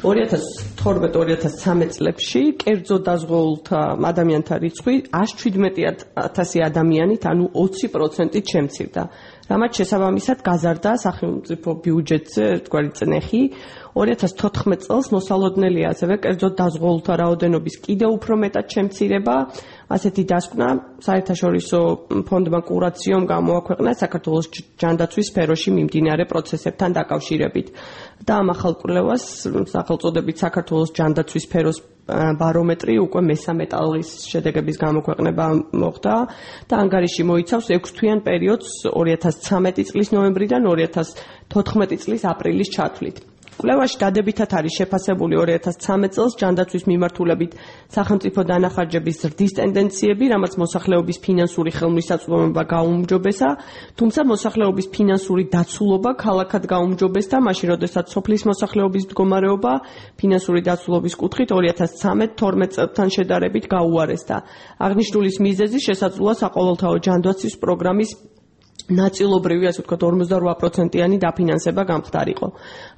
2012-2013 წლებში კერძო დაზღვეულთა ადამიანთა რიცხვი 117,000 ადამიანით, ანუ 20%-ით შემცირდა. რამაც შესაბამისად გაზარდა სახელმწიფო ბიუჯეტზე ერთგვარი წნეხი. 2014 წელს მოსალოდნელია ასევე კერძო დაზღვეულთა რაოდენობის კიდევ უფრო მეტად შემცირება. ასეთი დასკვნა საერთაშორისო ფონდმა კურაციომ გამოაქვეყნა საქართველოს ჯანდაცვის სფეროში მიმდინარე პროცესებთან დაკავშირებით. და ამ ახალ კვლევას სახელწოდებით საქართველოს ჯანდაცვის სფეროს ბარომეტრი უკვე მესამე ტალღის შედეგების გამოქვეყნება მოხდა და ანგარიში მოიცავს 6 თვიან პერიოდს 2013 წლის ნოემბრიდან 2014 წლის აპრილის ჩათვლით. კვლევაში დადებითად არის შეფასებული 2013 წელს ჯანდაცვის მიმართულებით სახელმწიფო დანახარჯების ზრდის ტენდენციები, რამაც მოსახლეობის ფინანსური ხელმისაწვდომობა გაუმჯობესა, თუმცა მოსახლეობის ფინანსური დაცულობა ქალაქად გაუმჯობესდა, მაშინ როდესაც სოფლის მოსახლეობის მდგომარეობა ფინანსური დაცულობის კუთხით 2013-12 წელთან შედარებით გაუარესდა. აღნიშნულის მიზეზი შესაძლოა საყოველთაო ჯანდაცვის პროგრამის ნაწილობრივი, ასე ვთქვათ, 48%-იანი დაფინანსება გამხდარიყო.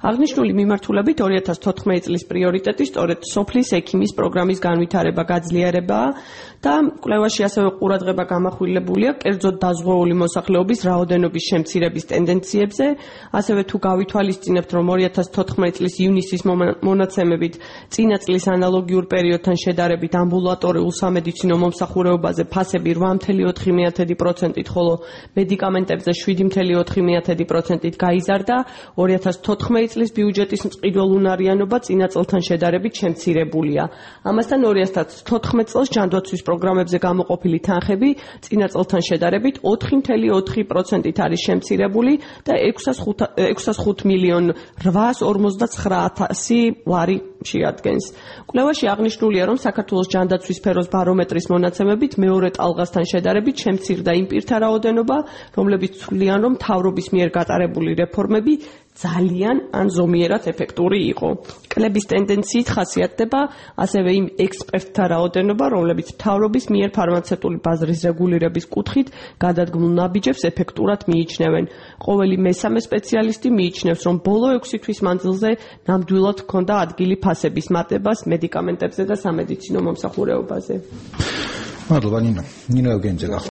აღნიშნული მიმართულებით 2014 წლის პრიორიტეტი სწორედ სოფლის ექიმის პროგრამის განვითარება, გაძლიერებაა და კვლევაში ასევე ყურადღება გამახვილებულია კერძოდ დაზღვეული მოსახლეობის რაოდენობის შემცირების ტენდენციებზე, ასევე თუ გავითვალისწინებთ, რომ 2014 წლის ივნისის მონაცემებით წინა წლის ანალოგიურ პერიოდთან შედარებით ამბულატორიულ სამედიცინო მომსახურებაზე ფასები 8,4%-ით, ხოლო მედიკამენტებზე 7,4%-ით გაიზარდა, 2014 წლის ბიუჯეტის მწყიდველ უნარიანობა წინა წელთან შედარებით შემცირებულია. ამასთან 2014 წელს ჯანდაცვის პროგრამებზე გამოყოფილი თანხები წინა წელთან შედარებით 4,4%-ით არის შემცირებული და 605,849,000 ლარი შეადგენს. კვლევაში აღნიშნულია, რომ საქართველოს ჯანდაცვის სფეროს ბარომეტრის მონაცემებით მეორე ტალღასთან შედარებით შემცირდა იმ პირთა რაოდენობა, რომლებიც თვლიან, რომ მთავრობის მიერ გატარებული რეფორმები ძალიან ან ზომიერად ეფექტური იყო. კლების ტენდენციით ხასიათდება ასევე იმ ექსპერტთა რაოდენობა, რომლებიც მთავრობის მიერ ფარმაცევტული ბაზრის რეგულირების კუთხით გადადგმულ ნაბიჯებს ეფექტურად მიიჩნევენ. ყოველი მესამე სპეციალისტი მიიჩნევს, რომ ბოლო 6 თვის მანძილზე ნამდვილად ჰქონდა ადგილი ფასების მატებას მედიკამენტებზე და სამედიცინო მომსახურებაზე. მადლობა ნინო. ნინო ევგენიძე.